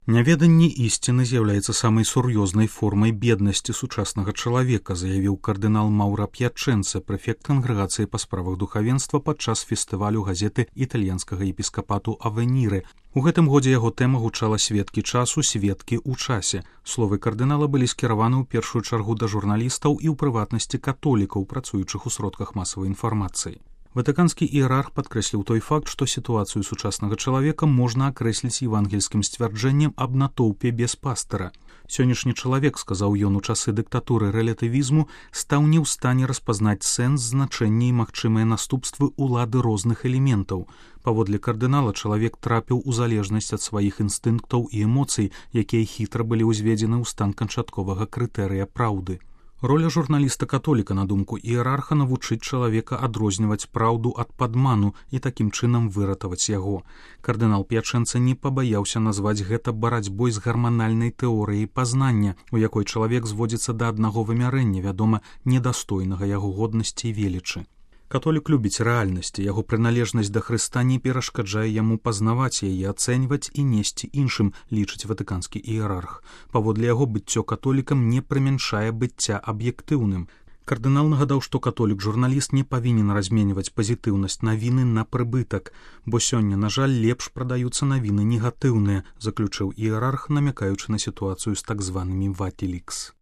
Няведанне ісціны з'яўляецца самай сур'ёзнай формай беднасці сучаснага чалавека, заявіў кардынал Маўра П'ячэнца, прэфект кангрэгацыі па справах духавенства падчас фестывалю газеты італьянскага епіскапату Авеніры. У гэтым годзе яго тэма гучала «Сведкі часу, сведкі ў часе». Словы кардынала былі скіраваны ў першую чаргу да журналістаў і ў прыватнасці католікаў, працуючых у сродках масавай інфармацыі. Ватыканскі іерарх падкрэсліў той факт, што сітуацыю сучаснага чалавека можна акрэсліць евангельскім сцвярджэннем аб натоўпе без пастыра. Сённяшні чалавек, сказаў ён у часы дыктатуры рэлятывізму, стаў не ў стане распазнаць сэнс, значэнне і магчымыя наступствы ўлады розных элементаў. Паводле кардынала, чалавек трапіў у залежнасць ад сваіх інстынктаў і эмоцый, якія хітра былі ўзведзены ў стан канчатковага крытэрыя праўды. Роля журналіста-католіка, на думку іерарха, навучыць чалавека адрозніваць праўду ад падману і такім чынам выратаваць яго. Кардынал П'ячэнца не пабаяўся назваць гэта барацьбой з гарманальнай тэорыяй пазнання, у якой чалавек зводзіцца да аднаго вымярэння, вядома, недастойнага яго годнасці і велічы. Католік любіць рэальнасці, яго прыналежнасць да Хрыста не перашкаджае яму пазнаваць яе, ацэньваць і несці іншым, лічыць ватыканскі іерарх. Паводле яго быццё католікам не прымяншае быцця аб'ектыўным. Кардынал нагадаў, што католік-журналіст не павінен разменьваць пазітыўнасць навіны на прыбытак, бо сёння, на жаль, лепш прадаюцца навіны негатыўныя, заключыў іерарх, намякаючы на сітуацыю з так званымі «Ватилікс».